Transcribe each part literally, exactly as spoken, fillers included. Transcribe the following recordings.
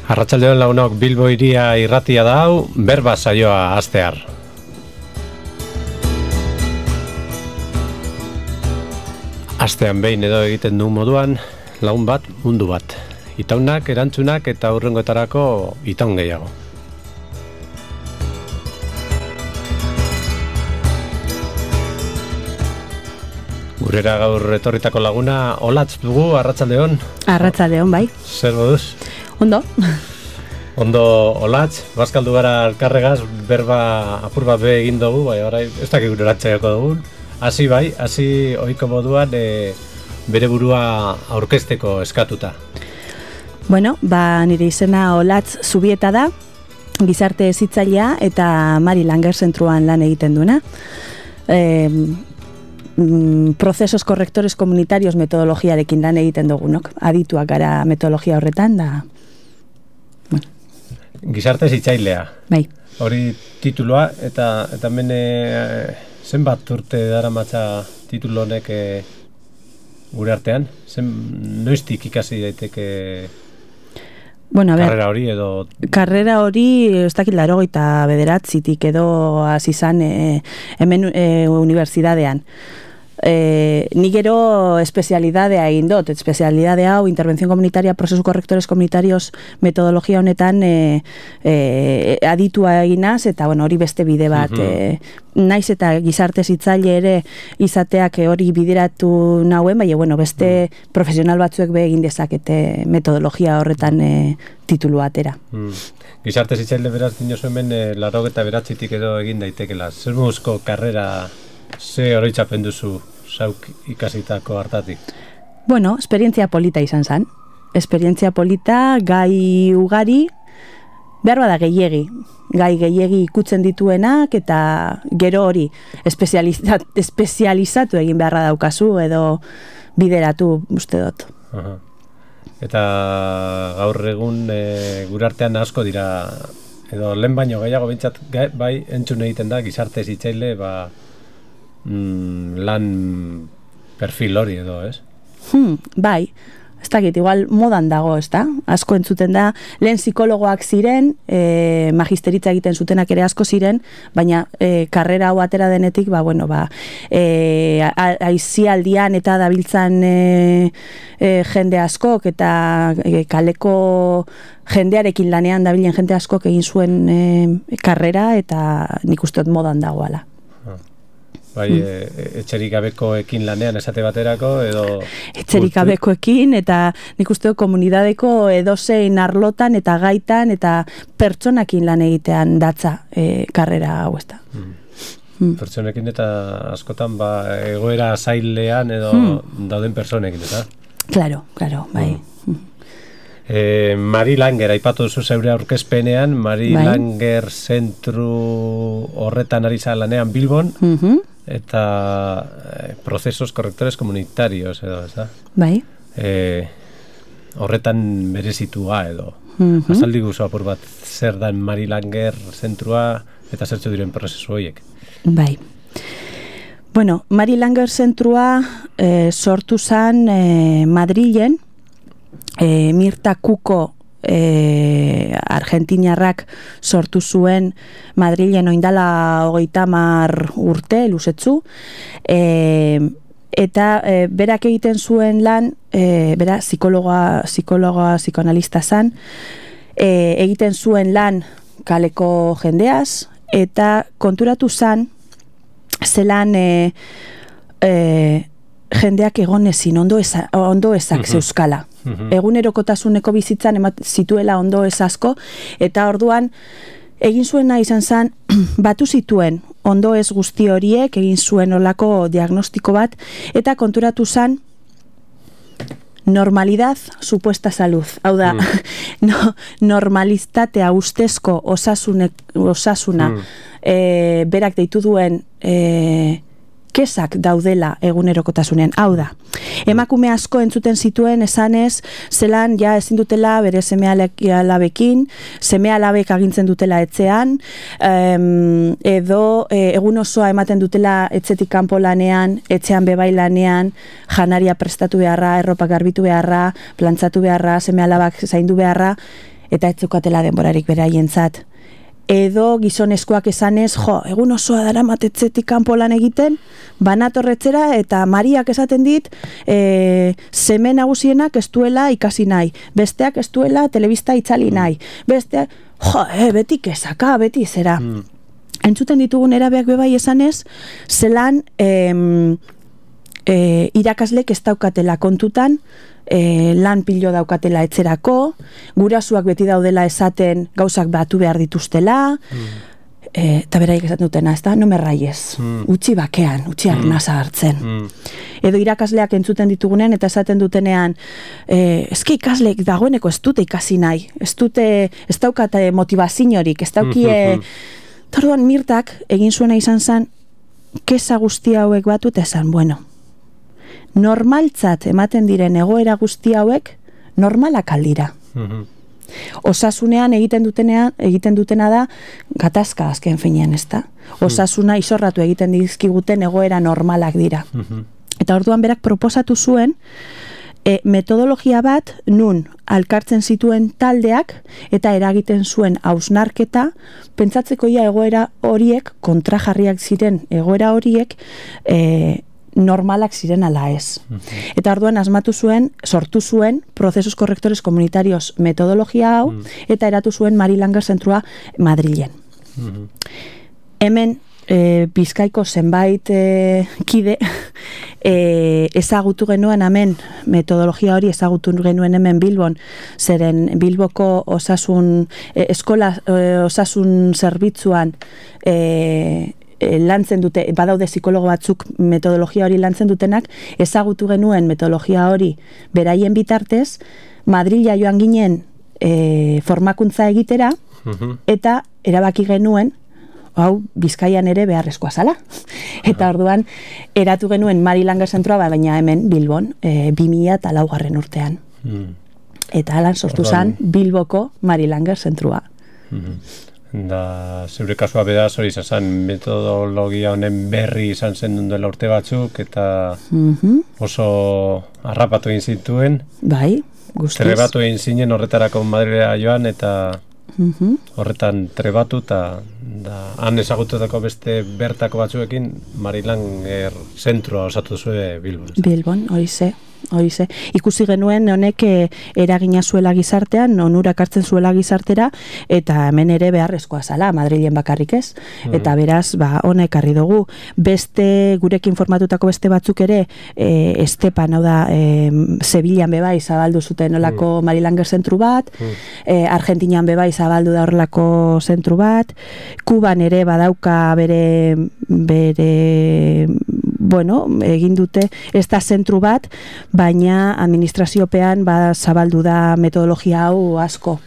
Arratsaldeon lagunok, Bilbo hiria irratia da hau, berba saioa hastear. Astean behin edo egiten du moduan, lagun bat, mundu bat. Itaunak, erantzunak eta hurrengoetarako itaun gehiago. Gurera gaur etorritako laguna, Olatz dugu, arratsaldeon. Arratsaldeon, bai. Zer moduz? Ondo. Ondo, Olatz, bazkaldu gara elkarregaz, berba apur bat be egin dugu, bai, orai, ez dakik gure ratxaiako dugun. Hasi bai, hasi ohiko moduan e, bere burua aurkezteko eskatuta. Bueno, ba, nire izena Olatz Zubieta da, gizarte hezitzailea eta Mari Langer zentruan lan egiten duena. E, procesos correctores comunitarios metodologiarekin lan egiten dugunok. Adituak gara metodologia horretan da. Bueno. Gizarte hezitzailea. Bai. Hori tituloa eta eta hemen e, zenbat urte daramatza titulo honek e, gure artean? Zen noiztik ikasi daiteke bueno, a ver, karrera hori edo karrera hori ez dakit laurogeita bederatzitik edo hasi izan e, hemen e, unibertsitatean. Eh, ni gero espezialidadea egin dut, espezialidadea hau intervención comunitaria, procesos correctores comunitarios metodologia honetan eh, eh, aditua eginaz, eta bueno, hori beste bide bat uh-huh. eh, naiz eta gizarte hezitzaile ere izateak hori bideratu nauen, baina bueno, beste uh-huh. profesional batzuek be egin dezakete metodologia horretan eh, titulu atera. Uh-huh. Gizarte hezitzaile beraz dinosu hemen eh, laurogeita bederatzitik edo egin daitekela. Zer moduzko karrera ze oroitzapen duzu zauk ikasitako hartatik? Bueno, esperientzia polita izan zen. Esperientzia polita, gai ugari, behar bada gehiegi. Gai gehiegi ikutzen dituenak eta gero hori espezializat, espezializatu egin beharra daukazu edo bideratu uste dut. Aha. Eta gaur egun e, gure artean asko dira, edo lehen baino gehiago bintzat, bai entzun egiten da gizarte hezitzaile ba, Mm, lan perfil hori edo, ez? Hmm, bai, ez dakit, igual modan dago, ez da? Asko entzuten da, lehen psikologoak ziren, e, magisteritza egiten zutenak ere asko ziren, baina e, karrera hau atera denetik, ba, bueno, ba, e, aizialdian eta dabiltzan e, e, jende askok, eta e, kaleko jendearekin lanean dabilen jende askok egin zuen e, karrera, eta nik uste dut modan dagoala. Bai, e, etxerik gabekoekin lanean esate baterako edo etxerik gabekoekin eta nik uste dut komunidadeko edozein arlotan eta gaitan eta pertsonakin lan egitean datza e, karrera hau ez da. Hmm. Hmm. Pertsonekin eta askotan ba, egoera zailean edo hmm. dauden pertsonekin, eta? Claro, claro, bai. Hmm. E, Mari Langer, aipatu duzu zeure aurkezpenean, Mari bai. Langer zentru horretan ari lanean Bilbon, uh-huh. eta eh, procesos correctores comunitarios edo, ez da? Bai. E, horretan berezitua edo. Uh-huh. Azaldi guzu apur bat, zer da Mari Langer zentrua eta zertzu diren prozesu horiek? Bai. Bueno, Mari Langer zentrua eh, sortu zen eh, Madrilen, E, Mirta Kuko e, argentinarrak sortu zuen Madrilen oindala hogeita hamar urte luzetzu e, eta e, berak egiten zuen lan e, bera psikologa, psikologa psikoanalista zan e, egiten zuen lan kaleko jendeaz eta konturatu zan zelan e, e, jendeak egon ezin ondo, eza, ondo ezak uh-huh. zeuskala. Uh-huh. Egunerokotasuneko bizitzan emat zituela ondo ez asko, eta orduan egin zuena izan zen batu zituen ondo ez guzti horiek, egin zuen olako diagnostiko bat, eta konturatu zen normalidad supuesta salud. Hau da, mm. no, normalistatea ustezko osasunek, osasuna mm. e, berak deitu duen e, kesak daudela egunerokotasunean. Hau da, emakume asko entzuten zituen esanez, zelan ja ezin dutela bere seme-alabekin, seme-alabek agintzen dutela etxean, em, edo e, egun osoa ematen dutela etxetik kanpo lanean, etxean bebai lanean, janaria prestatu beharra, erropa garbitu beharra, plantzatu beharra, seme-alabak zaindu beharra, eta ez zukatela denborarik beraientzat. Edo gizonezkoak esanez, jo, egun osoa dara matetzetik kanpo lan egiten, banatorretzera eta Mariak esaten dit, e, seme nagusienak ez duela ikasi nahi, besteak ez duela telebista itzali nahi, besteak, jo, e, beti kezaka, beti zera. Mm. Entzuten ditugun erabeak bebai esanez, zelan em, e, irakaslek ez daukatela kontutan, E, lan pilo daukatela etzerako, gurasuak beti daudela esaten gauzak batu behar dituztela, mm. e, eta beraik esaten dutena, ez da, no me raiez, mm. utzi bakean, utzi arnasa hartzen. Mm. Edo irakasleak entzuten ditugunen, eta esaten dutenean, e, eski ikasleek dagoeneko ez dute ikasi nahi, ez dute, ez daukate motivaziorik, ez daukie, tarduan Mirtak egin zuena izan zen, kesa guzti hauek batu, eta esan, bueno, normaltzat ematen diren egoera guzti hauek normalak aldira. Mm-hmm. Osasunean egiten dutenean, egiten dutena da gatazka azken finean, ezta? Osasuna isorratu egiten dizkiguten egoera normalak dira. Mm-hmm. Eta orduan berak proposatu zuen e, metodologia bat nun alkartzen zituen taldeak eta eragiten zuen hausnarketa, pentsatzeko ia egoera horiek, kontrajarriak ziren egoera horiek, e, normalak ziren ala ez. Uh-huh. Eta orduan asmatu zuen, sortu zuen prozesos korrektores komunitarios metodologia hau, uh-huh. eta eratu zuen Mari Langer zentrua Madrilen. Uh-huh. Hemen e, Bizkaiko zenbait e, kide e, ezagutu genuen hemen metodologia hori ezagutu genuen hemen Bilbon, zeren Bilboko osasun e, eskola e, osasun zerbitzuan e, lantzen dute, badaude psikologo batzuk metodologia hori lantzen dutenak, ezagutu genuen metodologia hori beraien bitartez, Madrila joan ginen e, formakuntza egitera, uh-huh. eta erabaki genuen, hau Bizkaian ere beharrezkoa zala. Eta orduan, eratu genuen Mari Langer zentroa, baina hemen Bilbon, e, bi mila eta laugarren urtean. Uh-huh. Eta alan sortu zen Bilboko Mari Langer zentroa. Uh-huh. Da, zeure kasua bedaz hori izan metodologia honen berri izan zen duela urte batzuk eta mm-hmm. oso harrapatu egin zituen. Bai, guztiz. Trebatu egin zinen horretarako Madrilera joan eta mm-hmm. horretan trebatu eta da, han ezagututako beste bertako batzuekin Mari Langer zentroa osatu zuen Bilbon. Bilbon, hori ze. Horize. Ikusi genuen honek e, eragina zuela gizartean, onurak hartzen zuela gizartera, eta hemen ere beharrezkoa zala, Madrilen bakarrik ez. Mm. Eta beraz, ba, honek harri dugu. Beste, gurekin formatutako beste batzuk ere, e, Estepan, hau da, e, Sevillan bebai zabaldu zuten olako mm. Mari Langer zentru bat, mm. e, Argentinian bebai zabaldu da horrelako zentru bat, Kuban ere badauka bere, bere, bueno, egin dute ez da zentru bat, baina administraziopean ba, zabaldu da metodologia hau asko.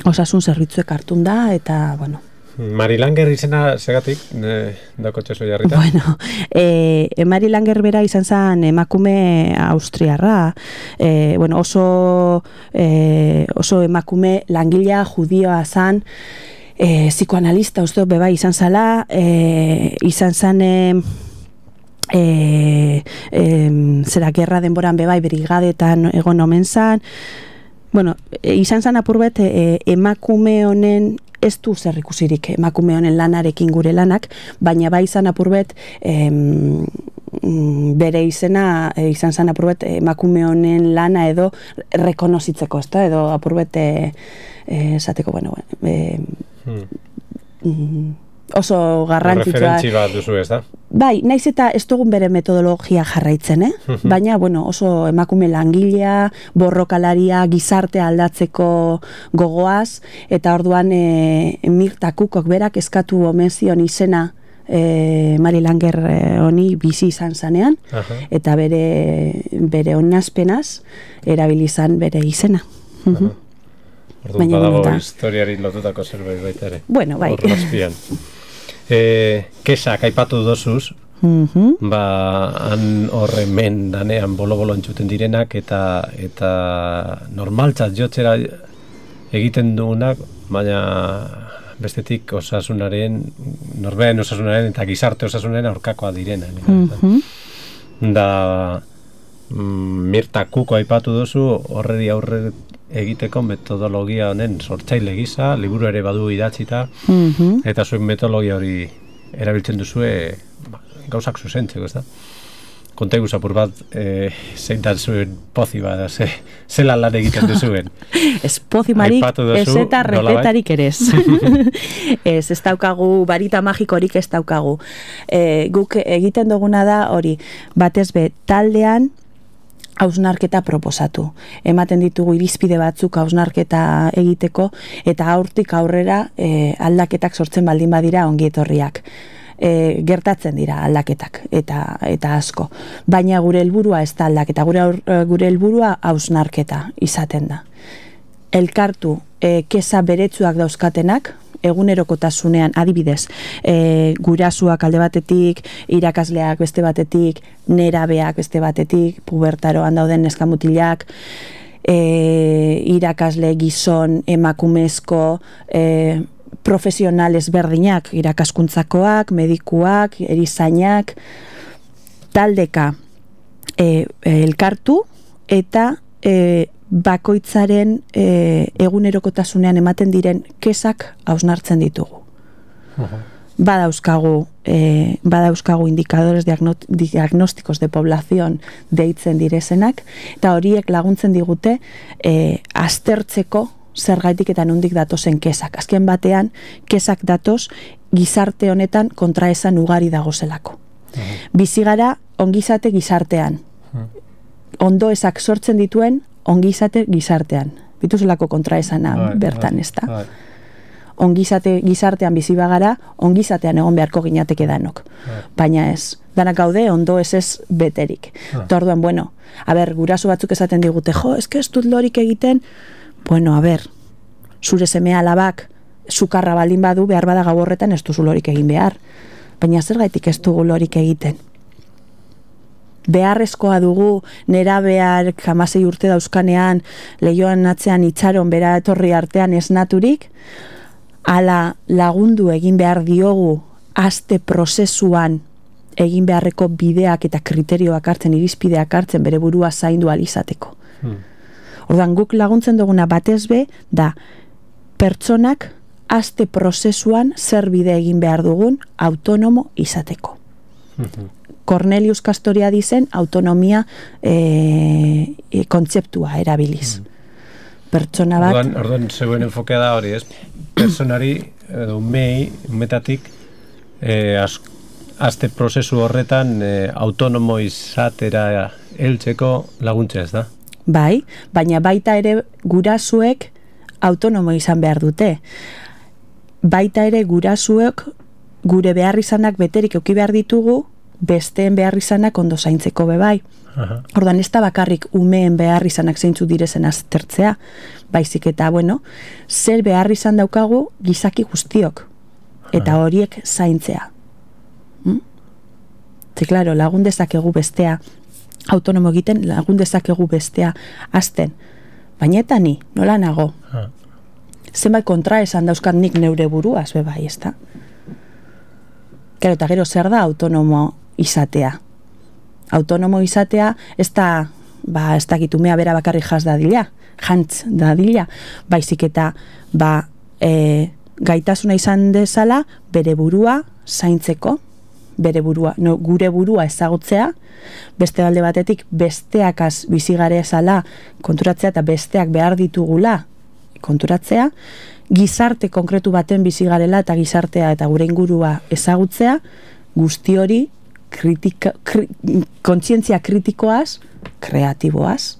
Osasun zerbitzuek hartun da, eta, bueno. Mari Langer izena segatik, e, dako txeso jarrita? Bueno, e, Mari Langer bera izan zen emakume austriarra, e, bueno, oso, e, oso emakume langilea judioa zen, e, psikoanalista uste beba izan zala, e, izan zen... E, E, e, zera gerra denboran bebai brigadetan egon omen zan, bueno, e, izan zan apurbet e, emakume honen ez du zer ikusirik emakume honen lanarekin gure lanak, baina bai izan apurbet e, bere izena e, izan zan apurbet emakume honen lana edo rekonozitzeko, ezta, edo apurbet e, e, esateko, bueno, e, hmm. mm, oso garrantzitsua. Referentzi bat duzu, ez da? Bai, naiz eta ez dugun bere metodologia jarraitzen, eh? Uh-huh. Baina, bueno, oso emakume langilea, borrokalaria, gizartea aldatzeko gogoaz, eta orduan e, Mirta Kukok berak eskatu omen zion izena e, Mari Langer honi bizi izan zanean, uh-huh. eta bere, bere onazpenaz erabilizan bere izena. Uh-huh. Orduan badago historiari lotutako zerbait baita ere. Bueno, bai. Horrazpian. E, kesak aipatu dozuz, mm-hmm. ba, han horre men danean bolo-bolo entzuten direnak eta eta normaltzat jotzera egiten dugunak, baina bestetik osasunaren, norbeen osasunaren eta gizarte osasunaren aurkakoa direna. Mm-hmm. Da, mm, Mirta Kuko aipatu dozu, horreri aurre egiteko metodologia honen sortzaile gisa, liburu ere badu idatzita, Mhm. eta zuen metodologia hori erabiltzen duzue ba, gauzak zuzentzeko, ez da? Konta egu zapur bat, e, zein da zuen pozi bat, ze, zela lan egiten duzuen. Ez pozimarik, Aipatu duzu, ez eta nolabait? recetarik ere ez. Ez, ez daukagu, barita magikorik ez daukagu. E, guk egiten duguna da hori, batez be, taldean hausnarketa proposatu. Ematen ditugu irizpide batzuk hausnarketa egiteko, eta aurtik aurrera e, aldaketak sortzen baldin badira ongietorriak. E, gertatzen dira aldaketak eta eta asko. Baina gure helburua ez da aldaketa, gure aur, gure helburua hausnarketa izaten da. Elkartu e, kesa beretsuak dauzkatenak, egunerokotasunean, adibidez, e, gurasuak alde batetik, irakasleak beste batetik, nerabeak beste batetik, pubertaroan dauden neskamutilak, e, irakasle gizon, emakumezko, e, profesional ezberdinak, irakaskuntzakoak, medikuak, erizainak, taldeka e, e, elkartu eta e, bakoitzaren e, egunerokotasunean ematen diren kesak hausnartzen ditugu. Uh-huh. Badauzkagu, e, badauzkagu indikadores diagno, diagnósticos de población deitzen direzenak, eta horiek laguntzen digute e, aztertzeko zergaitik eta nondik datozen kesak. Azken batean, kesak datoz gizarte honetan kontraesan ugari dagozelako. Uh-huh. Bizigara ongizate gizartean. Uh-huh. Ondoezak sortzen dituen ongizate gizartean. Bituzelako kontraesana Right, bertan, right, ez da? right. Ongizate gizartean bizi bagara, ongizatean egon beharko ginateke danok. Right. Baina ez, danak gaude ondo ez ez beterik. Right. Torduan, bueno, a ber, guraso batzuk esaten digute, jo, eske ez dut lorik egiten, bueno, a ber, zure seme alabak sukarra baldin badu, behar bada gau horretan ez duzu lorik egin behar. Baina zergaitik ez dugu lorik egiten. Beharrezkoa dugu nerabeak hamasei urte dauzkanean lehioan atzean itxaron bera etorri artean esnaturik, ala lagundu egin behar diogu aste prozesuan egin beharreko bideak eta kriterioak hartzen, irizpideak hartzen bere burua zaindu alizateko. Hmm. Ordan guk laguntzen duguna batez be da pertsonak aste prozesuan zer bide egin behar dugun autonomo izateko. Hmm. Cornelius Castoriadizen autonomia e, e, kontzeptua erabiliz. Mm. Pertsona bat... Orduan, orduan zeuen enfokea da hori, ez? Personari, edo umei, umetatik, e, az, azte prozesu horretan e, autonomo izatera heltzeko laguntza, ez da? Bai, baina baita ere gurasuek autonomo izan behar dute. Baita ere gurasuek gure beharrizanak beterik euki behar ditugu, besteen beharrizanak ondo zaintzeko bebai. Aha. Ordan ez da bakarrik umeen beharrizanak zeintzu direzen aztertzea, baizik eta, bueno, zer beharrizan daukagu gizaki guztiok, eta horiek zaintzea. Hmm? Ze, klaro, lagun dezakegu bestea autonomo egiten, lagun dezakegu bestea azten. Baina eta ni, nola nago? Aha. Zenbait kontra esan dauzkat nik neure buruaz, bebai, ez da? Claro, eta gero zer da autonomo izatea. Autonomo izatea ez da, ba, ez da gitumea bera bakarri jaz dadila, jantz dadila, baizik eta ba, e, gaitasuna izan dezala bere burua zaintzeko, bere burua, no, gure burua ezagutzea, beste alde batetik besteakaz bizigare ezala konturatzea eta besteak behar ditugula konturatzea, gizarte konkretu baten bizigarela eta gizartea eta gure ingurua ezagutzea, guzti hori kritika, kri, kontzientzia kritikoaz, kreatiboaz.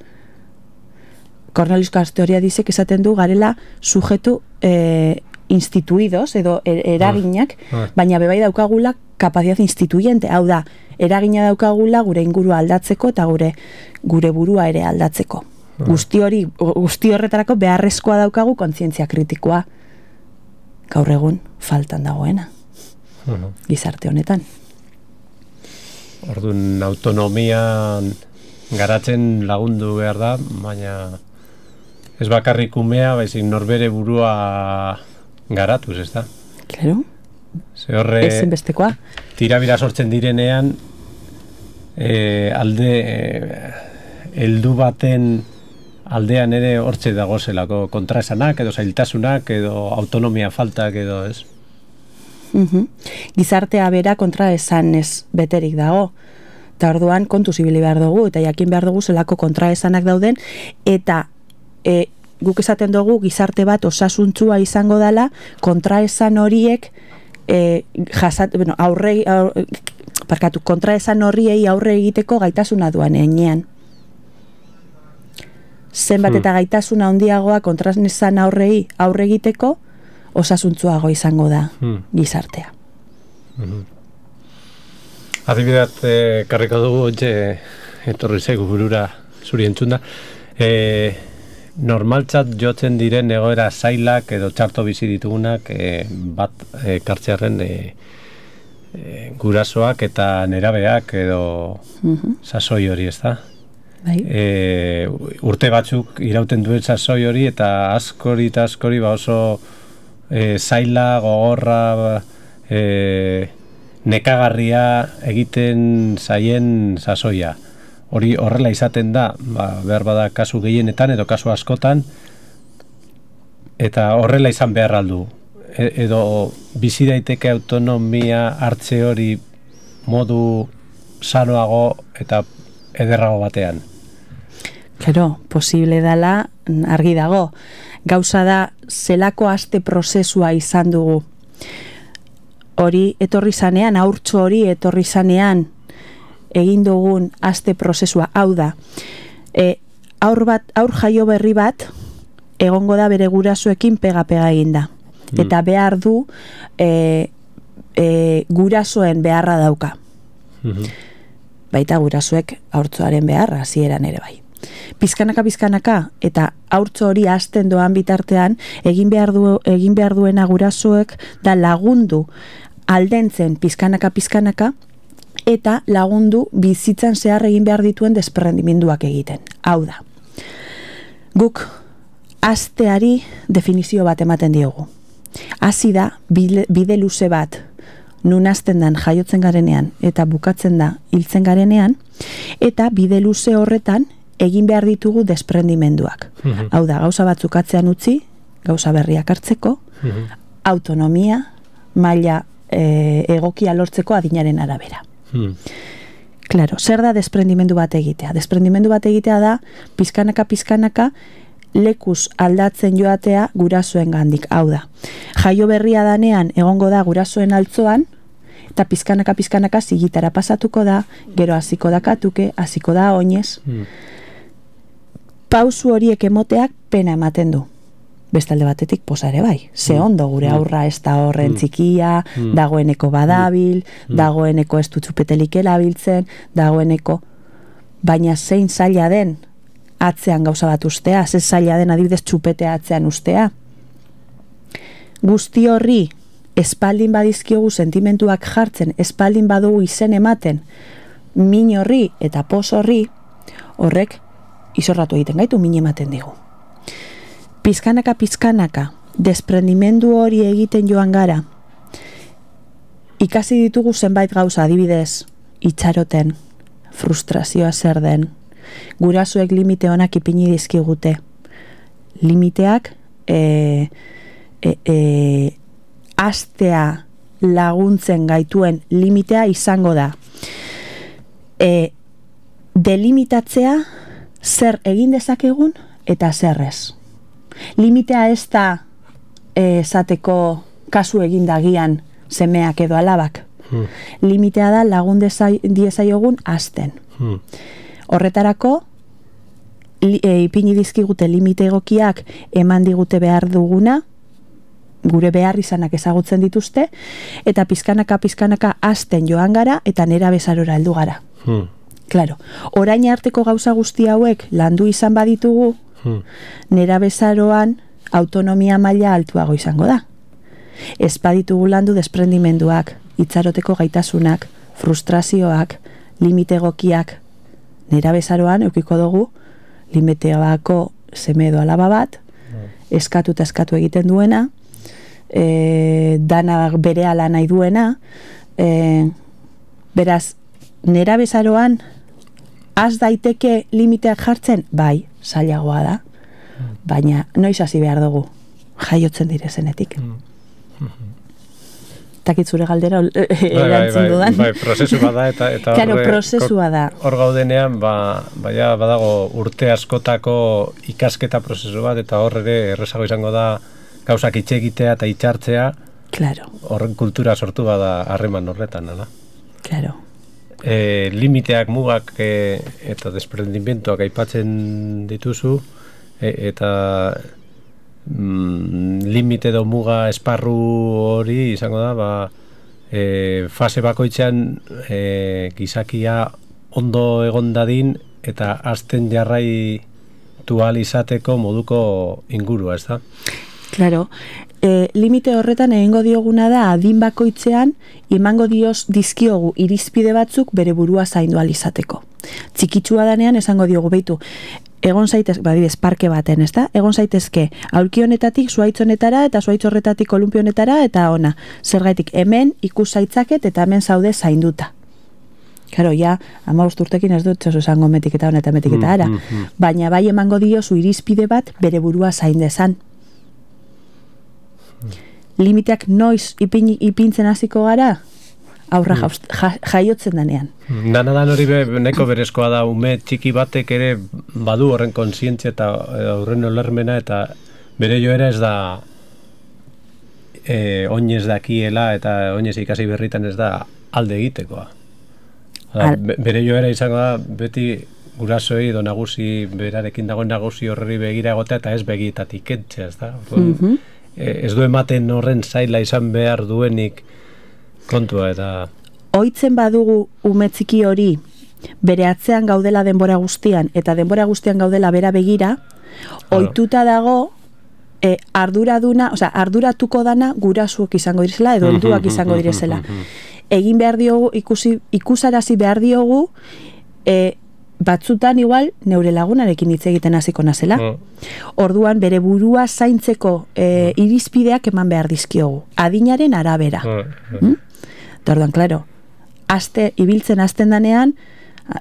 Cornelius Castoriadisek esaten du garela sujetu eh, instituidos edo er, eraginak, ah, ah. baina bebai daukagula kapazitate instituyente, hau da, eragina daukagula gure ingurua aldatzeko eta gure gure burua ere aldatzeko. Ah. Guzti hori, guzti horretarako beharrezkoa daukagu kontzientzia kritikoa. Gaur egun faltan dagoena. Uh-huh. Gizarte honetan. Orduan autonomian garatzen lagundu behar da, baina ez bakarrik umea, baizik norbere burua garatuz, ez da? Claro. Ze horre ezinbestekoa. Tirabira sortzen direnean e, alde e, heldu baten aldean ere hortze dagozelako kontraesanak edo zailtasunak edo autonomia faltak edo ez? Uhum. Gizartea bera kontraesanez beterik dago. Eta orduan kontu zibili behar dugu, eta jakin behar dugu zelako kontraesanak dauden, eta e, guk esaten dugu gizarte bat osasuntzua izango dela, kontraesan horiek e, jasat, bueno, aurre, aurre, parkatu, kontraesan horiei aurre egiteko gaitasuna duan enean. Zenbat eta gaitasuna handiagoa kontraesan aurrei aurre egiteko, osasuntzuago izango da hmm. gizartea. Mm-hmm. Adibidat, eh, karriko dugu, ontxe, etorri zaigu burura zuri entzunda. Eh, normaltzat jotzen diren egoera zailak edo txarto bizi ditugunak eh, bat eh, kartzearen eh, eh, gurasoak eta nerabeak edo mm-hmm. sasoi hori, ez da? Bai. Eh, urte batzuk irauten duen sasoi hori eta askori eta askori ba oso eh, zaila, gogorra, eh, nekagarria egiten zaien sasoia. Hori horrela izaten da, ba, behar bada kasu gehienetan edo kasu askotan, eta horrela izan behar aldu. E, edo bizi daiteke autonomia hartze hori modu sanoago eta ederrago batean. Claro, posible dela argi dago. Gauza da, zelako aste prozesua izan dugu. Hori etorri zanean, haurtxo hori etorri zanean egin dugun aste prozesua, hau da. E, aur bat, aur jaio berri bat egongo da bere gurasoekin pega-pega eginda. Mm. Eta behar du e, e, gurasoen beharra dauka. Mm-hmm. Baita gurasoek haurtzoaren beharra, hasieran ere bai. Pizkanaka pizkanaka eta haurtzo hori hasten doan bitartean egin behar du, egin behar duena gurasoek da lagundu aldentzen pizkanaka pizkanaka eta lagundu bizitzan zehar egin behar dituen desprendimenduak egiten. Hau da. Guk hasteari definizio bat ematen diogu. Hasi da bide, bide luze bat nun hasten dan jaiotzen garenean eta bukatzen da hiltzen garenean, eta bide luze horretan egin behar ditugu desprendimenduak. Mm-hmm. Hau da, gauza batzuk atzean utzi, gauza berriak hartzeko, mm-hmm. autonomia, maila e, egokia lortzeko adinaren arabera. Mm. Claro, zer da desprendimendu bat egitea? Desprendimendu bat egitea da, pizkanaka pizkanaka lekuz aldatzen joatea gurasoen gandik. Hau da, jaio berria danean egongo da gurasoen altzoan, eta pizkanaka pizkanaka zigitara pasatuko da, gero hasiko da katuke, hasiko da oinez. Mm. Pausu horiek emoteak pena ematen du. Bestalde batetik posa ere bai. Ze ondo gure aurra ez da horren txikia, dagoeneko badabil, dagoeneko ez du txupetelik erabiltzen, dagoeneko, baina zein zaila den atzean gauza bat ustea, zein zaila den adibidez txupetea atzean ustea. Guzti horri espaldin badizkiogu sentimentuak jartzen, espaldin badugu izen ematen, min horri eta pos horri, horrek izorratu egiten gaitu, min ematen digu. Pizkanaka pizkanaka, desprendimendu hori egiten joan gara, ikasi ditugu zenbait gauza, adibidez, itxaroten, frustrazioa zer den, gurasoek limite honak ipini dizkigute. Limiteak e, e, e, astea laguntzen gaituen limitea izango da. E, delimitatzea zer egin dezakegun eta zer ez. Limitea ez da esateko kasu egin dagian semeak edo alabak. Hmm. Limitea da lagun diezaiogun hasten. Hmm. Horretarako li, e, ipini dizkigute limite egokiak eman digute behar duguna, gure behar izanak ezagutzen dituzte, eta pizkanaka pizkanaka hasten joan gara eta nera bezarora heldu gara. Hmm. Claro, orain arteko gauza guzti hauek landu izan baditugu, hmm. nera bezaroan autonomia maila altuago izango da. Ez baditugu landu desprendimenduak, itxaroteko gaitasunak, frustrazioak, limite egokiak, nera bezaroan eukiko dugu limiteoako seme edo alaba bat, hmm. eskatu eta eskatu egiten duena, e, dana berehala nahi duena, e, beraz, nera bezaroan Az daiteke limiteak jartzen? Bai, zailagoa da. Baina noiz hasi behar dugu jaiotzen direzenetik. Takit zure galdera erantzun dudan. Bai, prozesu bada eta eta claro, prozesua da. Hor gaudenean, ba, baia badago urte askotako ikasketa prozesu bat, eta hor ere errezago izango da gauzak hitz egitea eta hitzartzea. Claro. Horren kultura sortu bada harreman horretan, ala? Claro. E, limiteak, mugak e, eta desprendimientoak aipatzen dituzu, e, eta mm, limite edo muga esparru hori izango da, ba, e, fase bakoitzean e, gizakia ondo egon dadin eta azten jarraitu ahal izateko moduko ingurua, ez da? Claro, e, limite horretan egingo dioguna da adin bakoitzean emango dioz dizkiogu irizpide batzuk bere burua zaindu ahal izateko. Txikitsua danean esango diogu beitu, egon zaitez, badibez, parke baten, ez da? Egon zaitezke aulki honetatik zuhaitz honetara eta zuhaitz horretatik kolumpio honetara eta ona. Zergaitik, hemen ikus zaitzaket eta hemen zaude zainduta. Karo, ja, hamabost urtekin ez dut zozo esango metik eta honetan metik eta ara. Baina bai emango diozu irizpide bat bere burua zain dezan. Limiteak noiz ipin, ipintzen hasiko gara, aurra mm. ja, jaiotzen danean. Danadan hori be, neko berezkoa da, ume txiki batek ere badu horren kontzientzia eta horren olermena, eta bere joera ez da e, oinez dakiela eta oinez ikasi berritan ez da alde egitekoa. Al... Bere joera izango da beti gurasoei edo nagusi berarekin dagoen nagusi horri begira egotea eta ez begietatik kentzea, ez da? Mm-hmm. Ez du ematen horren zaila izan behar duenik kontua eta... Oitzen badugu umetziki hori bere atzean gaudela denbora guztian eta denbora guztian gaudela bera begira, ohituta dago e, arduraduna, osea, arduratuko dana gurasuak izango direzela edo helduak izango direzela. Egin behar diogu, ikusi, ikusarazi behar diogu e, batzutan igual neure lagunarekin hitz egiten hasiko nazela. Mm. Orduan bere burua zaintzeko e, irizpideak eman behar dizkiogu. Adinaren arabera. Mm. Mm? Orduan, klaro, aste, ibiltzen hasten danean,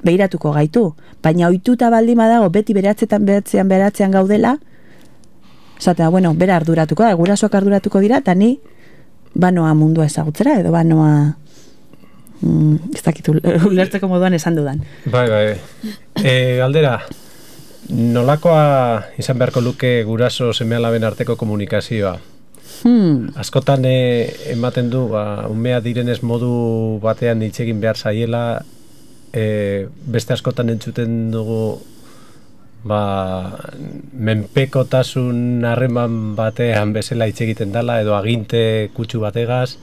behiratuko gaitu. Baina ohituta baldin badago beti beratzetan beratzean beratzean gaudela, esatea, bueno, bera arduratuko da, gurasoak arduratuko dira, eta ni banoa mundua ezagutzera, edo banoa... Mm, ez dakitu, ulertzeko moduan esan dudan. Bai, bai. E, galdera, nolakoa izan beharko luke guraso seme-alaben arteko komunikazioa? Hmm. Askotan e, ematen du, ba, umea direnez modu batean hitz egin behar zaiela, e, beste askotan entzuten dugu ba, menpekotasun harreman batean bezala hitz egiten dela, edo aginte kutsu bategaz,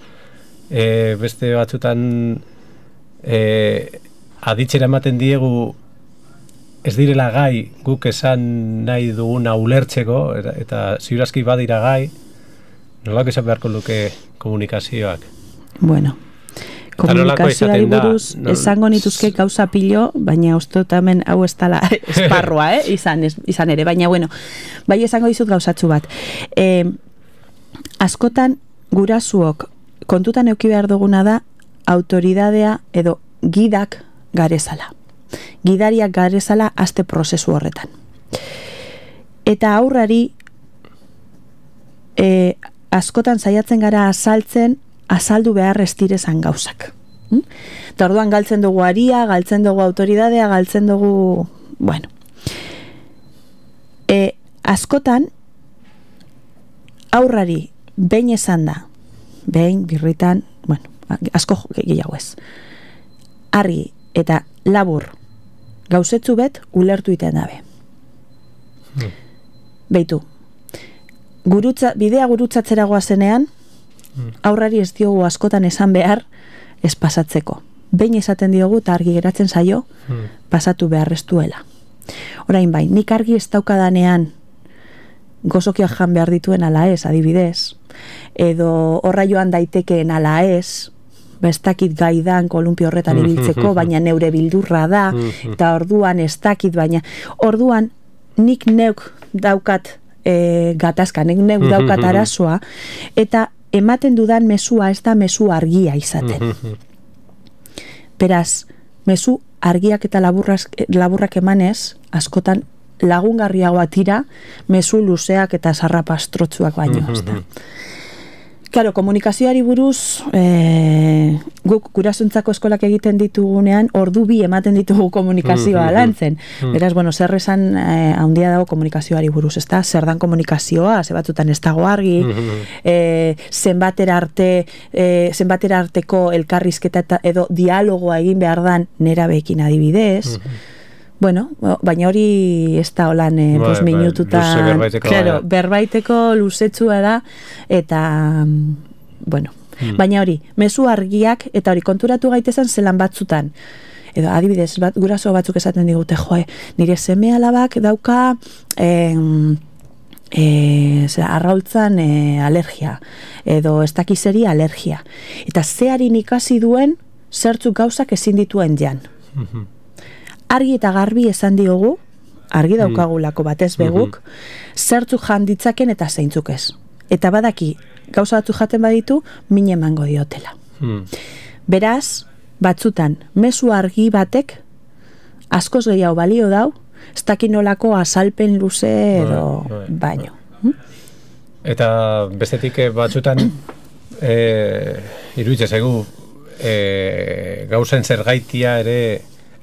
E, beste batzutan e, aditzera ematen diegu ez direla gai guk esan nahi duguna ulertzeko eta, eta ziurazki badira gai, nolako izan beharko luke komunikazioak? Bueno, komunikazioari buruz da, esango nituzke gauza pilo, baina ustot hemen hau ez dela esparrua, eh? izan, ez, izan ere, baina bueno, bai esango dizut gauzatxu bat. E, askotan gurasuok kontutan euki behar duguna da autoridadea edo gidak garezala. Gidariak garezala aste prozesu horretan. Eta aurrari e, askotan saiatzen gara azaltzen azaldu behar estirezan gauzak. Hm? Eta orduan galtzen dugu aria, galtzen dugu autoridadea, galtzen dugu... Bueno. E, askotan aurrari behin esan da, behin, birritan, bueno, asko gehiago ez. Argi eta labur gauzetzu bet ulertu iten dabe. Hmm. Beitu, gurutza, bidea gurutzatzera goazenean, hmm. aurrari ez diogu askotan esan behar ez pasatzeko. Behin esaten diogu eta argi geratzen zaio hmm. pasatu beharreztuela. Orain bai, nik argi ez daukadanean gozokiak jan behar dituen ala ez, adibidez, edo horra joan daitekeen ala ez, bestakit gaidan kolumpio horretan ibiltzeko, baina neure bildurra da, eta orduan ez dakit, baina orduan nik neuk daukat e, gatazka, nik neuk daukat arazoa, eta ematen dudan mesua ez da mesu argia izaten. Beraz, mesu argiak eta laburrak, laburrak emanez, askotan lagungarriagoa tira, mezu luzeak eta zarrapastrotzuak baino. Claro, komunikazioari buruz, e, guk gurasuntzako eskolak egiten ditugunean, ordu bi ematen ditugu komunikazioa lantzen. Beraz, bueno, zer esan e, handia dago komunikazioari buruz, ezta? Zer dan komunikazioa, ze batzutan ez dago argi, e, zenbatera arte, e, zenbatera arteko elkarrizketa eta edo dialogoa egin behar dan nerabeekin adibidez. Bueno, baina hori ez da holan eh, Bai, bost bai, minututan, luze berbaiteko, claro, bai. berbaiteko luzetsua da, eta, bueno, baina hori, mezu argiak, eta hori konturatu gaitezen zelan batzutan, edo adibidez, bat, guraso batzuk esaten digute, joe, nire seme alabak dauka, eh, E, zera, arraultzan e, alergia edo ez dakizeri alergia eta zearin ikasi duen zertzuk gauzak ezin dituen jan. Argi eta garbi esan diogu, argi daukagulako batez beguk, zertzuk jan ditzaken eta zeintzuk ez. Eta badaki, gauza batzuk jaten baditu, min emango diotela. Beraz, batzutan, mezu argi batek, askoz gehiago balio dau, ez dakinolako azalpen luze edo bai, bai. baino. Eta bestetik batzutan e, iruditzen zaigu e, gauzen zergaitia ere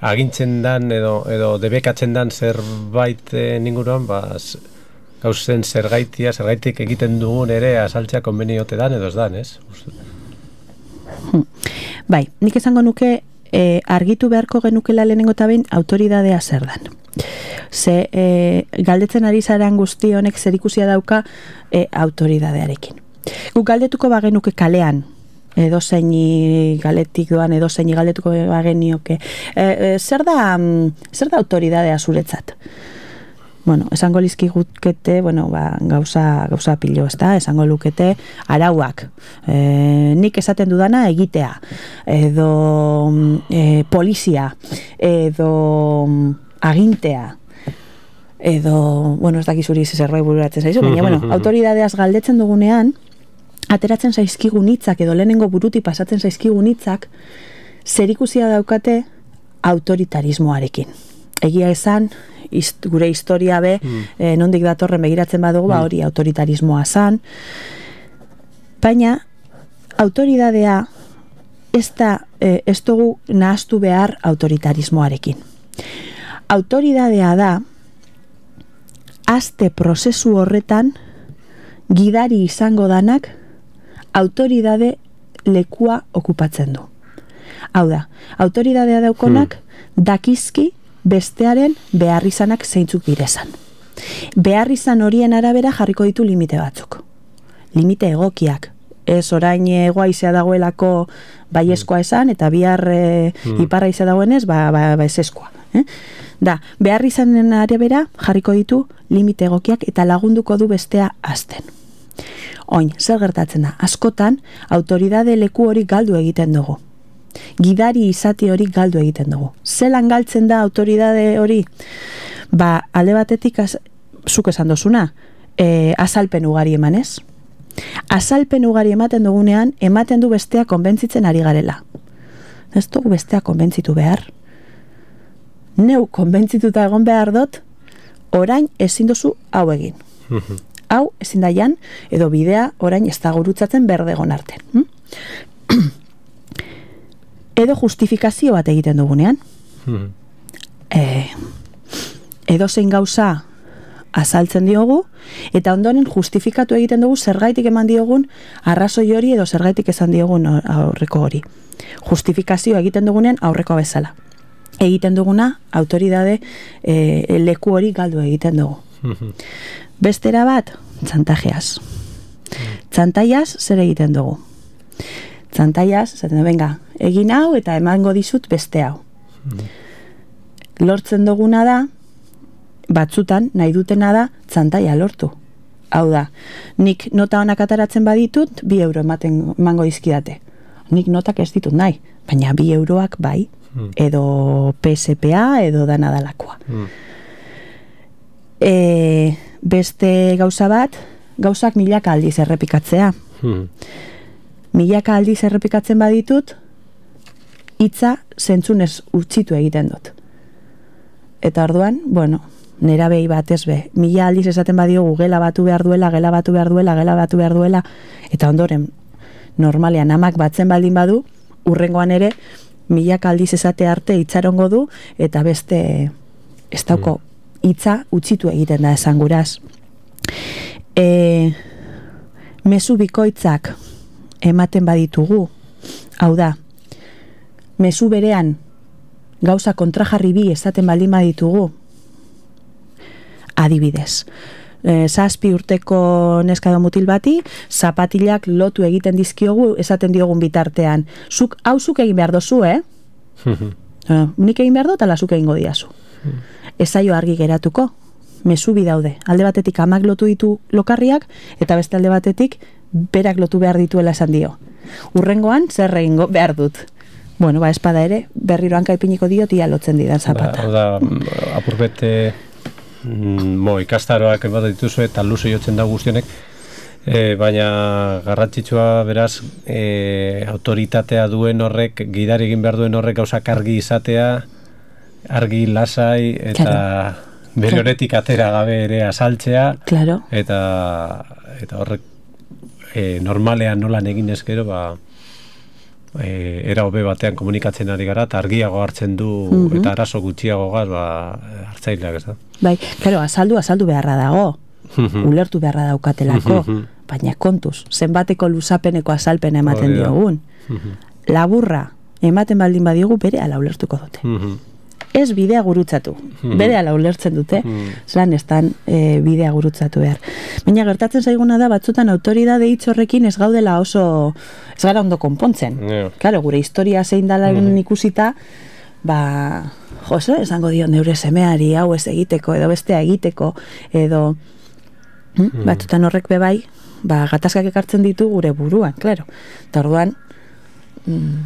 agintzen dan edo, edo debekatzen dan zerbait e, ninguruan, ba, gauzen zergaitia, zergaitik egiten dugun ere azaltzea konbeniote dan edo ez dan, ez? Bai, nik esango nuke e, argitu beharko genukela lehenengo eta behin autoridadea zer dan. Ze e, galdetzen ari zaren guzti honek zerikusia dauka e, autoridadearekin. Guk galdetuko bagenuke kalean, edo zeini galetik doan, edo zeini galdetuko bagenioke. E, e, zer da, zer da autoridadea zuretzat? Bueno, esango lizkigukete, bueno, ba, gauza, gauza pilo, ez da? Esango lukete arauak. E, nik esaten dudana egitea. Edo e, polizia. Edo agintea. Edo, bueno, ez dakizuri zerbait bururatzen zaizu, baina, bueno, autoridadeaz galdetzen dugunean, ateratzen zaizkigun hitzak edo lehenengo buruti pasatzen zaizkigun hitzak zerikusia daukate autoritarismoarekin. Egia esan, ist, gure historia be, mm. eh, nondik datorren begiratzen badugu, mm. ba hori autoritarismoa zan, baina autoridadea ez da, eh, ez dugu nahaztu behar autoritarismoarekin. Autoridadea da, azte prozesu horretan gidari izango danak autoridade lekua okupatzen du. Hau da, autoridadea daukonak hmm. dakizki bestearen beharrizanak zeintzuk direzan. Beharrizan horien arabera jarriko ditu limite batzuk. Limite egokiak. Ez orain egoa izea dagoelako baiezkoa esan, eta bihar e, hmm. iparra izea dagoenez, ba, ba, ba ezeskoa. Eh? Da, beharrizanen arabera jarriko ditu limite egokiak eta lagunduko du bestea azten. Oin, zer gertatzen da? Askotan, autoridade leku hori galdu egiten dugu. Gidari izati hori galdu egiten dugu. Zelan galtzen da autoridade hori? Ba, alde batetik, az, zuk esan dozuna, e, azalpen ugari emanez. Azalpen ugari ematen dugunean, ematen du bestea konbentzitzen ari garela. Ez dugu bestea konbentzitu behar. Neu konbentzituta egon behar dut, orain ezin dozu hau egin. Hau ezin daian, edo bidea orain ez da gurutzatzen berdegon arte. Hm? Edo justifikazio bat egiten dugunean. e, edo zein gauza azaltzen diogu, eta ondoren justifikatu egiten dugu zergaitik eman diogun arrazoi hori edo zergaitik esan diogun aurreko hori. Justifikazio egiten dugunean aurreko bezala. Egiten duguna, autoridade e, leku hori galdu egiten dugu. Bestera bat, txantajeaz. Txantaiaz zer egiten dugu? Txantaiaz, zaten du, venga, egin hau eta emango dizut beste hau. Lortzen duguna da, batzutan nahi dutena da txantaia lortu. Hau da, nik nota honak ataratzen baditut, bi euro ematen emango dizkidate. Nik notak ez ditut nahi, baina bi euroak bai, edo P S P A edo dana dalakoa. Mm. E, beste gauza bat, gauzak milaka aldiz errepikatzea. Mm. Milaka aldiz errepikatzen baditut, hitza zentzunez utzitu egiten dut. Eta orduan, bueno, nera behi batez be, mila aldiz esaten badiogu gela batu behar duela, gela batu behar duela, gela batu behar duela, eta ondoren, normalean amak batzen baldin badu, urrengoan ere, milak aldiz esate arte itxarongo du, eta beste ez dauko hitza utzitu egiten da esan guraz. E, mezu bikoitzak ematen baditugu, hau da, mezu berean gauza kontrajarri bi esaten baldin baditugu, adibidez, e, zazpi urteko neska edo mutil bati, zapatilak lotu egiten dizkiogu esaten diogun bitartean. Zuk, hau zuk egin behar dozu, eh? no, nik egin behar dut, ala zuk egingo diazu. Ezaio argi geratuko, mezu bi daude. Alde batetik amak lotu ditu lokarriak, eta beste alde batetik berak lotu behar dituela esan dio. Urrengoan, zer egingo behar dut. Bueno, ba, espada ere, berriro hankaipiniko diot, ia lotzen didan zapata. Hau da, apurbete mo, ikastaroak bat dituzu eta luze jotzen da guztionek, e, baina garrantzitsua beraz e, autoritatea duen horrek, gidari egin behar duen horrek gauzak argi izatea, argi lasai eta claro. Bere honetik atera gabe ere asaltzea, claro. eta, eta horrek e, normalean nolan egin ezkero, ba, E, era hobe batean komunikatzen ari gara eta argiago hartzen du mm-hmm. eta arazo gutxiago gaz ba, hartzaileak ez da. Bai, claro, azaldu, azaldu beharra dago, ulertu beharra daukatelako, baina kontuz, zenbateko luzapeneko azalpen ematen diogun. Laburra ematen baldin badiogu bere ala ulertuko dute. Ez bidea gurutzatu, bere ala ulertzen dute, zelan ez dan e, bidea gurutzatu behar. Baina gertatzen zaiguna da, batzutan autoridade hitz horrekin ez gaudela oso, ez gara ondo konpontzen. Yeah. Claro, gure historia zein dala mm. ikusita, ba, joso, esango dio neure semeari hau ez egiteko, edo bestea egiteko, edo mm. batzutan horrek bebai, ba, gatazkak ekartzen ditu gure buruan, claro. Eta orduan, mm,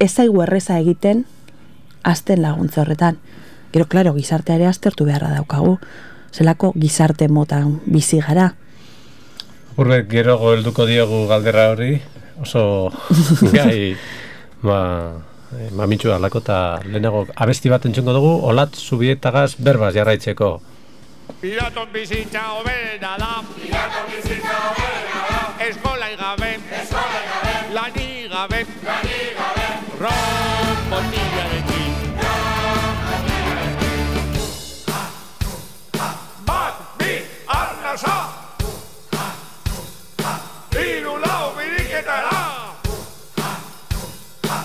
ez zaigu erreza egiten, azten laguntza horretan. Gero, klaro, gizarteare aztertu beharra daukagu. Zelako gizarte motan bizi gara. Urrek, gero helduko diogu galdera hori, oso gai, ba, mamitxu alako eta lehenago abesti bat entzungo dugu, Olat Zubietagaz berbaz jarraitzeko. Piraton bizitza hoberena da, Piraton bizitza hoberena da, eskola igabe, eskola igabe, lani gabe, lani gabe, ron botillarekin.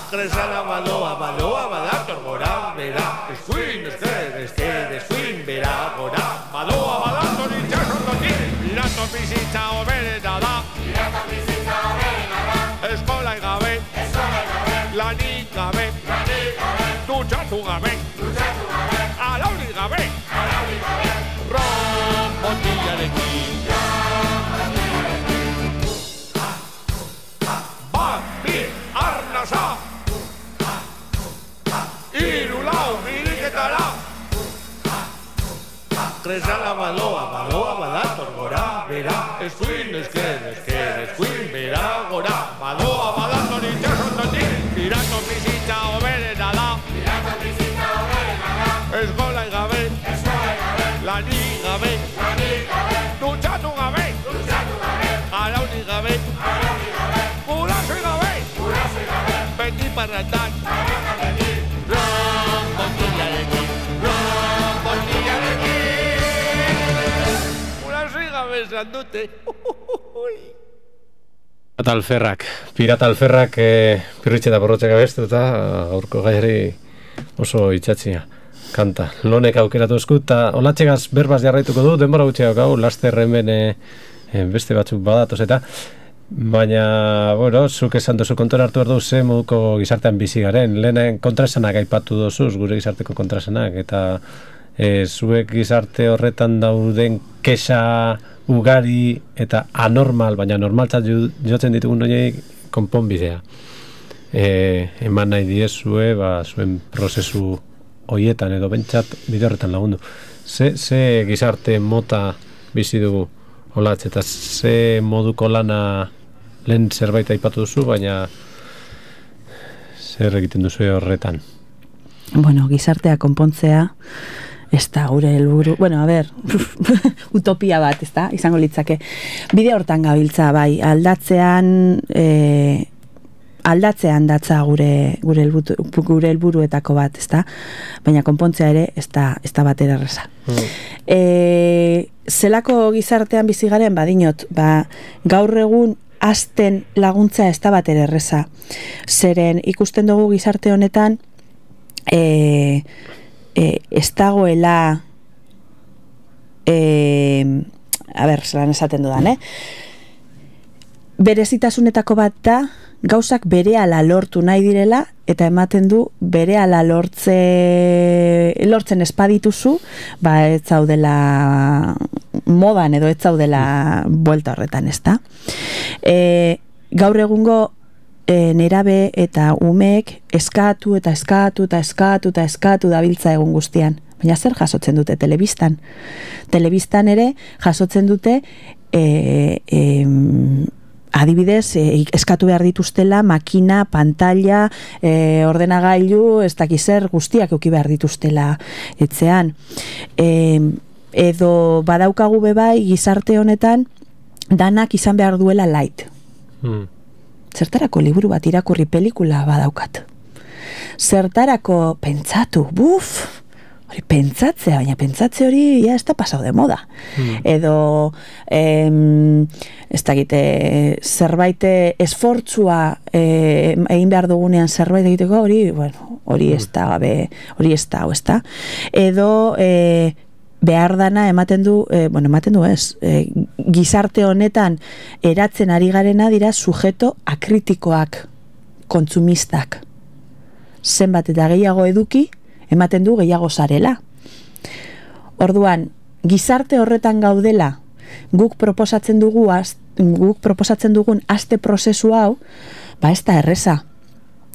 Kresala badoa, badoa, badator gora, bera, eskuin, ezker, ezker, eskuin, bera, gora, badoa, badator itxasondotik, piraton bizitza hoberena da, piraton bizitza hoberena da, eskola gabe, eskola gabe, lanik gabe, lanik gabe, dutxatu gabe, dutxatu gabe, alauri gabe, alauri gabe, ron botillarekin. Bat, bi, arnasa! Kresala badoa, badoa, badator gora, bera, eskuin, ezker, ezker, eskuin, bera, gora, badoa, badator itxasondotik, piraton bizitza hoberena da, piraton bizitza hoberena da, eskola gabe, eskola gabe, lani gabe, lani gabe, dutxatu gabe, dutxatu gabe, alauni gabe, alauni gabe, gurasoi gabe, gurasoi gabe, beti parratan, parratan beti, ron botillarekin, ron botillarekin. Esan dute. Pirata alferrak, pirata alferrak e, pirritxe eta borrotxek abestu eta gaurko gaiari oso itxatzia kanta. Lonek aukeratu esku eta olatxegaz berbaz jarraituko du, denbora gutxiak hau, laster hemen e, e, beste batzuk badatoz eta baina, bueno, zuk esan duzu kontora hartu behar du ze moduko gizartean bizi garen. Lehenen kontraesanak aipatu dozuz, gure gizarteko kontraesanak eta e, zuek gizarte horretan dauden kexa ugari eta anormal, baina normaltzat jotzen ditugun horiek konponbidea. E, eman nahi diezue, ba, zuen prozesu horietan edo bentsat bide horretan lagundu. Ze, ze gizarte mota bizi dugu Olatz, eta ze moduko lana lehen zerbait aipatu duzu, baina Zer egiten duzu horretan? Bueno, gizartea konpontzea, ez da gure helburu, bueno, a ber, utopia bat, ez da, izango litzake. Bide hortan gabiltza, bai, aldatzean, e, aldatzean datza gure gure helburu, gure helburuetako bat, ez da, baina konpontzea ere, ez da, ez da batera erreza. Mm. E, zelako gizartean bizi garen, badinot, ba, gaur egun hasten laguntza ez da batera erreza. Zeren ikusten dugu gizarte honetan, e, e, ez dagoela, e, a ber, zelan esaten dudan, eh? Berezitasunetako bat da, gauzak berehala lortu nahi direla, eta ematen du berehala lortze, lortzen espadituzu, ba ez zaudela modan edo ez zaudela buelta horretan, ez da. E, gaur egungo e, nerabe eta umeek eskatu eta eskatu eta eskatu eta eskatu dabiltza egun guztian. Baina zer jasotzen dute telebistan? Telebistan ere jasotzen dute e, e, adibidez, e, eskatu behar dituztela, makina, pantalla, e, ordenagailu, ez dakiz zer guztiak euki behar dituztela etzean. E, edo badaukagu bebai gizarte honetan danak izan behar duela light. Hmm. Zertarako liburu bat irakurri pelikula badaukat. Zertarako pentsatu, buf, hori pentsatzea, baina pentsatze hori ja ez da pasau de moda. Hmm. Edo em, ez dakite zerbait esfortzua eh, egin behar dugunean zerbait egiteko hori, bueno, hori ez da gabe, hori ez da, ez da. Edo eh, behar dana ematen du, eh, bueno, ematen du ez, eh, gizarte honetan eratzen ari garena dira sujeto akritikoak, kontsumistak. Zenbat eta gehiago eduki, ematen du gehiago zarela. Orduan, gizarte horretan gaudela, guk proposatzen dugu, az, guk proposatzen dugun aste prozesu hau, ba ez da erreza.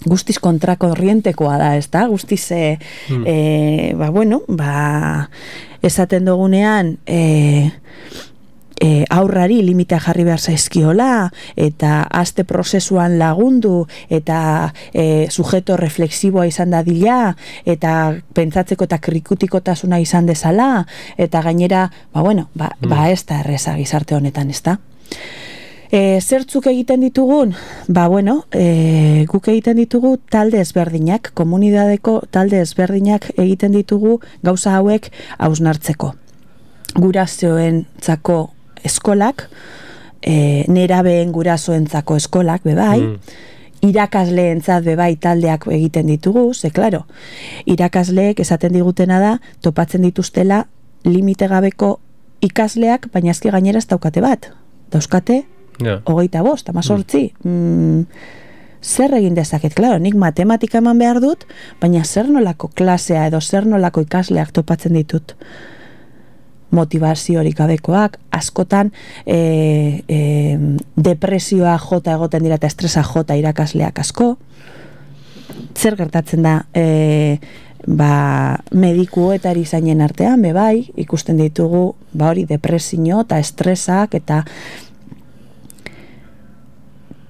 Guztiz kontrako orrientekoa da, ez da? Guztiz, e, mm. e, ba, bueno, ba, esaten dugunean, e, e, aurrari limita jarri behar zaizkiola, eta aste prozesuan lagundu, eta e, sujeto reflexiboa izan dadila, eta pentsatzeko eta krikutikotasuna izan dezala, eta gainera, ba, bueno, ba, mm. ba ez da erreza gizarte honetan, ez da? E, zertzuk egiten ditugun? Ba, bueno, e, guk egiten ditugu talde ezberdinak, komunidadeko talde ezberdinak egiten ditugu gauza hauek hausnartzeko. Gurasoentzako eskolak, e, nerabeen gurasoentzako eskolak, bebai, mm. irakasleentzat bebai taldeak egiten ditugu, ze, klaro, irakasleek esaten digutena da, topatzen dituztela limite gabeko ikasleak, baina ezki gainera ez daukate bat. Dauzkate, yeah. hogeita bost, amazortzi. Mm. Mm, zer egin dezaket, klaro, nik matematika eman behar dut, baina zer nolako klasea edo zer nolako ikasleak topatzen ditut. Motivaziorik gabekoak, askotan e, e, depresioa jota egoten dira eta estresa jota irakasleak asko. Zer gertatzen da e, ba, mediku eta erizainen artean, bebai, ikusten ditugu ba hori depresio eta estresak eta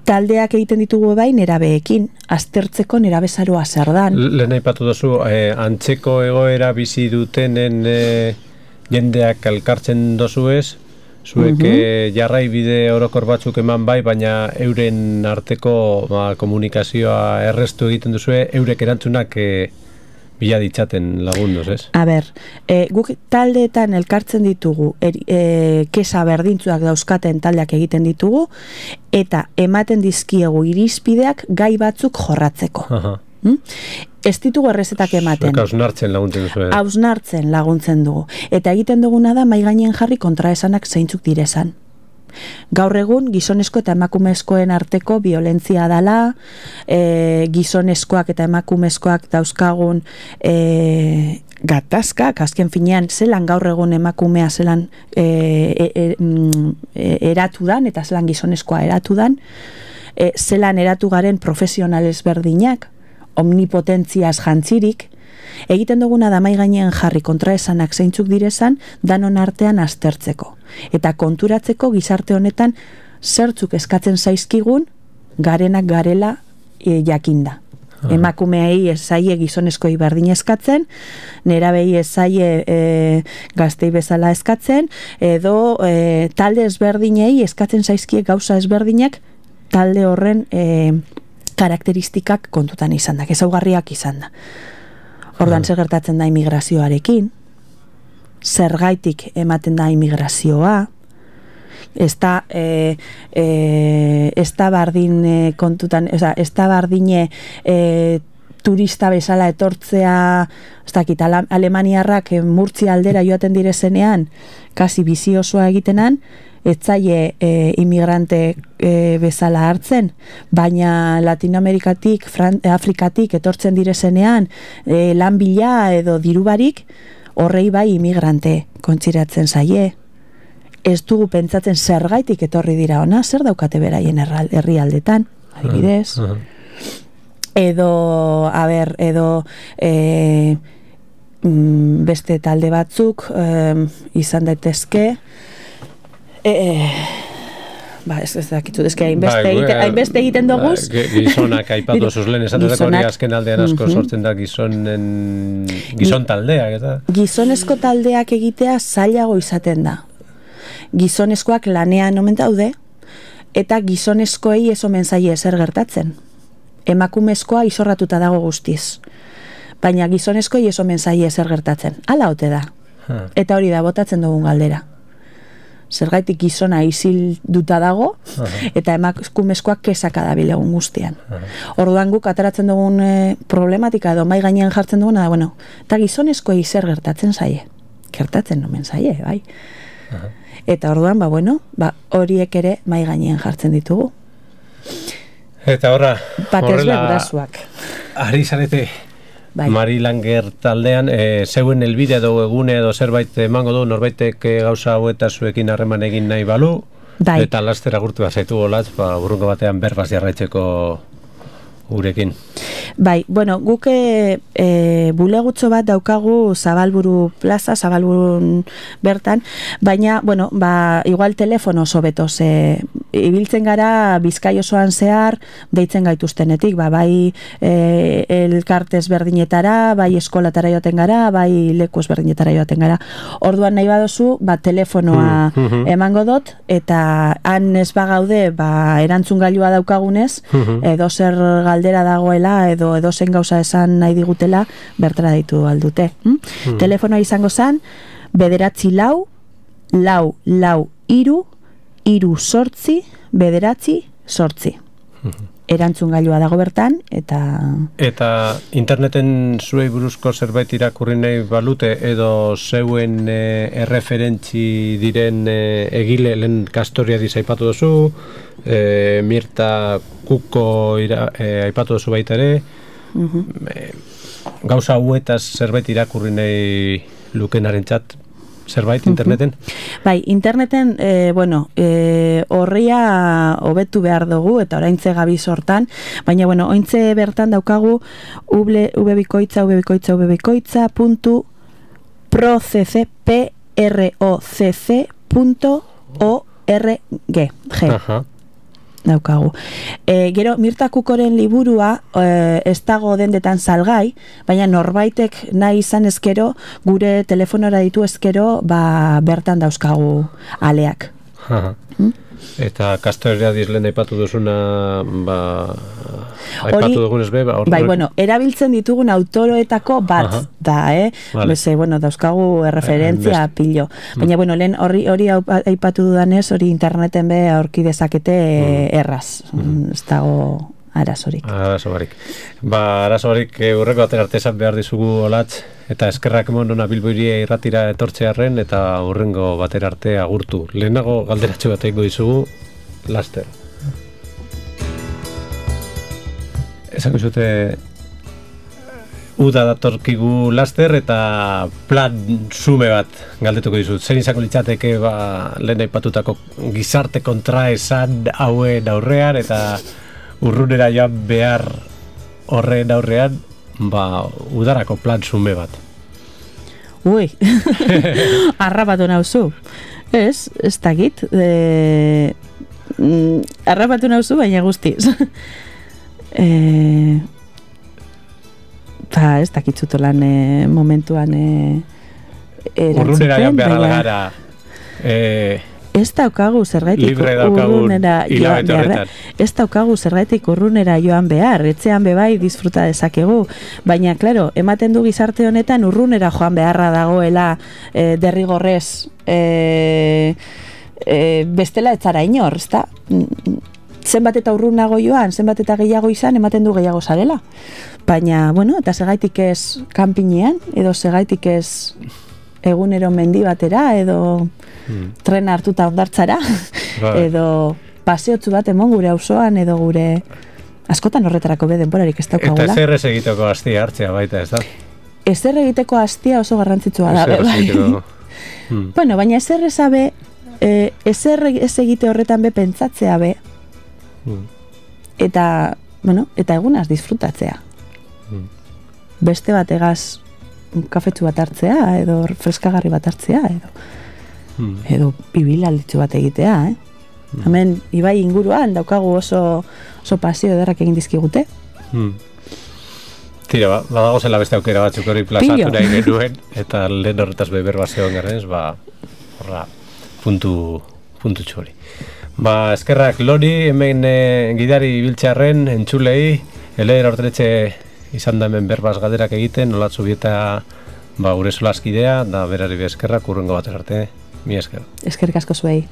taldeak egiten ditugu bai nerabeekin, aztertzeko nerabezaroa zer dan. Lehen aipatu duzu, eh, antzeko egoera bizi dutenen eh, jendeak elkartzen dozu ez, zuek uh -huh. jarrai bide orokor batzuk eman bai, baina euren arteko ba, komunikazioa errestu egiten duzue, eurek erantzunak eh, bila ditzaten lagunduz, ez? A ber, e, guk taldeetan elkartzen ditugu, er, e, kesa berdintzuak dauzkaten taldeak egiten ditugu, eta ematen dizkiegu irizpideak gai batzuk jorratzeko. Aha. Hmm? Ez ditugu errezetak ematen. Zuek hausnartzen laguntzen duzu. Hausnartzen laguntzen dugu. Eta egiten duguna da, mai gainen jarri kontraesanak zeintzuk direzan. Gaur egun gizonezko eta emakumezkoen arteko violentzia dala, e, gizonezkoak eta emakumezkoak dauzkagun e, gatazkak, azken finean zelan gaur egun emakumea zelan e, e, e, e, eratu dan, eta zelan gizonezkoa eratu dan, e, zelan eratu garen profesional ezberdinak, omnipotentziaz jantzirik, egiten duguna da mai gainean jarri kontraesanak zeintzuk direzan, danon artean aztertzeko. Eta konturatzeko gizarte honetan zertzuk eskatzen zaizkigun garenak garela e, jakinda. Emakumeei ez zaie gizonezkoi berdin eskatzen, nerabei ez zaie e, gaztei bezala eskatzen, edo e, talde ezberdinei eskatzen zaizkie gauza ezberdinak talde horren e, karakteristikak kontutan izan da, ezaugarriak izan da. Orduan zer gertatzen da immigrazioarekin, zergaitik ematen da immigrazioa, ez da e, e, ez da bardin e, kontutan, oza, ez da bardine e, turista bezala etortzea, ez dakit, alemaniarrak e, Murtzia aldera joaten direzenean, kasi bizi osoa egitenan, ez zaie e, imigrante e, bezala hartzen, baina Latinoamerikatik, Fran, Afrikatik etortzen direzenean e, lan bila edo dirubarik, horrei bai imigrante kontziratzen zaie. Ez dugu pentsatzen zergaitik etorri dira ona, zer daukate beraien herrialdetan, adibidez. Uh, uh. Edo, a ber, edo e, beste talde batzuk e, izan daitezke, e, e, ba, ez ez dakitu, ezke hainbeste egiten, egiten doguz. Ba, gizonak aipatu zuz lehen, esan dut hori azken aldean asko uh-huh. sortzen da gizonen, gizon taldeak, eta? Gizonezko taldeak egitea zailago izaten da. Gizonezkoak lanean omen daude, eta gizonezkoei ez omen zaie ezer gertatzen. Emakumezkoa izorratuta dago guztiz. Baina gizonezkoei ez omen zaie ezer gertatzen. Hala ote da. Huh. Eta hori da, botatzen dugun galdera. Zergaitik gizona isilduta dago, uh-huh. eta emakumezkoak kesaka dabil egun guztian. Uh-huh. Orduan guk ateratzen dugun e, problematika edo mai gainean jartzen duguna da, bueno, eta gizonezkoei zer gertatzen zaie. Gertatzen omen zaie, bai. Uh-huh. Eta orduan, ba, bueno, ba, horiek ere mai gainean jartzen ditugu. Eta horra, horrela, ari zarete, bai. Mari Langer taldean, e, zeuen elbide edo egune edo zerbait emango du, norbaitek gauza hau eta zuekin harreman egin nahi balu, bai. Eta laster agurtu bazaitu golatz, ba, burrungo batean berbaz jarraitzeko gurekin. Bai, bueno, guk e, e, bulegutxo bat daukagu Zabalburu plaza, Zabalburun bertan, baina, bueno, ba, igual telefono sobeto, ze ibiltzen gara Bizkai osoan zehar, deitzen gaituztenetik, ba, bai e, elkarte ezberdinetara, bai eskolatara joaten gara, bai leku ezberdinetara joaten gara. Orduan nahi badozu, ba, telefonoa mm-hmm. emango dut, eta han ez bagaude, ba, erantzun gailua daukagunez, mm-hmm. edo zer galdera dagoela, edo edo zen gauza esan nahi digutela, bertara ditu aldute. Hm? Mm. Telefonoa izango zen, bederatzi lau, lau, lau, iru, iru sortzi, bederatzi, sortzi. Mm-hmm. Erantzun gailua dago bertan, eta... Eta interneten zuei buruzko zerbait irakurri nahi balute, edo zeuen e, erreferentzi diren e, egile, lehen Kastoria dizaipatu duzu, e, Mirta Kuko ira, e, aipatu duzu baita ere, uh-huh. e, gauza huetaz zerbait irakurri nahi lukenaren txat, zerbait interneten? Uh-huh. Bai, interneten, e, bueno, e, horria hobetu behar dugu, eta oraintze gabiz hortan, baina, bueno, ointze bertan daukagu ubebikoitza, ubebikoitza, ubebikoitza, puntu, procc, p r o c c, punto org, g. Aha. Daukagu. E, gero, Mirta Kukoren liburua e, ez dago dendetan salgai, baina norbaitek nahi izan ezkero, gure telefonora ditu ezkero, ba, bertan dauzkagu aleak. Hmm? Eta Kastoria dizlen aipatu duzuna, ba, aipatu dugunez be, ba, bai, bueno, erabiltzen ditugun autoroetako bat Aha. da, eh? Vale. Beze, bueno, dauzkagu referentzia eh, pilo. Baina, mm. bueno, lehen hori hori aipatu dudanez, hori interneten be aurki dezakete mm. erraz. Mm. Ez dago arazorik. Arazorik. Ba, arazorik urreko atera artesan behar dizugu olatz, eta eskerrak monona Bilboiria irratira etortzearren, eta urrengo batera arte agurtu. Lehenago galderatxo bat egingo dizugu, laster. Esango zute, uda datorkigu laster, eta plan sume bat galdetuko dizut. Zer izango litzateke, ba, lehen aipatutako gizarte kontraesan hauen aurrean, eta urrunera joan behar horren aurrean, ba, udarako plan sume bat. Ui, arrapatu nauzu. Ez, ez dakit. E, mm, arrapatu nauzu, baina guztiz. e, ba, ez dakitzuto lan e, momentuan e, erantzuten. Urrunera joan behar algara, e, ez daukagu zergaitik libre daukagun urrunera joan hilabete behar. horretan. Ez daukagu zergaitik urrunera joan behar, etxean bebai disfruta dezakegu. Baina, klaro, ematen du gizarte honetan urrunera joan beharra dagoela e, derrigorrez e, e, bestela etzara inor, ezta? Zenbat eta urrunago joan, zenbat eta gehiago izan, ematen du gehiago zarela. Baina, bueno, eta segaitik ez kanpinean, edo segaitik ez egunero mendi batera, edo hmm. trena hartuta ondartzara, Bai. edo paseotzu bat emon gure auzoan, edo gure askotan horretarako be denborarik ez daukagula. Eta zer ez egiteko astia hartzea baita, ez da? Ezer egiteko astia oso garrantzitsua da. Ezer ez Bai. egiteko. Hmm. Bueno, baina ezer ezabe, e, ezer ez egite horretan be pentsatzea be, Hmm. eta, bueno, eta egunaz disfrutatzea. Hmm. Beste bategaz kafetxu bat hartzea, edo freskagarri bat hartzea, edo Hmm. edo bibilalditzu bat egitea, eh? Hmm. Hemen, ibai inguruan, daukagu oso, oso pasio ederrak egin dizkigute. Hmm. Tira, ba, badago zela beste aukera batzuk hori plazatu nahi genuen, eta lehen horretaz beber bat zegoen garrenez, ba, horra, puntu, puntu txori. Ba, eskerrak Lori, hemen e, gidari biltxarren, entzulei, eleder hortretxe izan da hemen berbaz galderak egiten, nolatzu bieta ba, gure solaskidea, da berari be eskerrak, urrengo bat arte, mi esker. Eskerrik asko zuei.